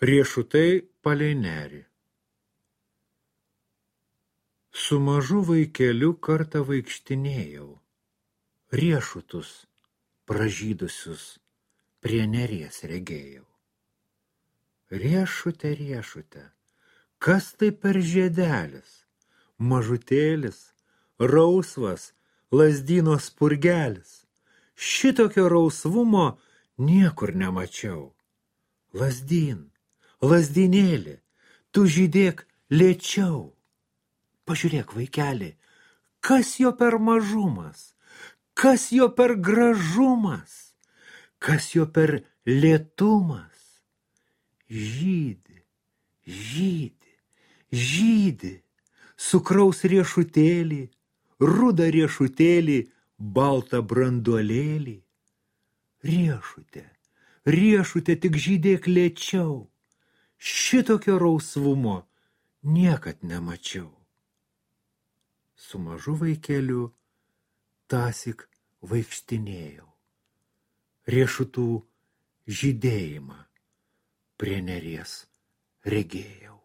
Riešutai palei nerį. Su mažu vaikeliu kartą vaikštinėjau, riešutus pražydusius prie neries regėjau. Riešute, riešute, kas tai per žiedelis, mažutėlis, rausvas, lazdyno spurgelis. Šitokio rausvumo niekur nemačiau. Lazdyn, lazdynėli, tu žydėk lėčiau. Pažiūrėk, vaikeli, kas jo per mažumas, kas jo per gražumas, kas jo per lėtumas. Žydi, žydi, žydi, sukraus riešutėlį, rudą riešutėlį, baltą branduolėlį. Riešute, riešute, tik žydėk lėčiau, šitokio rausvumo niekad nemačiau. Su mažu vaikeliu tąsyk vaikštinėjau, riešutų žydėjimą prie neries regėjau.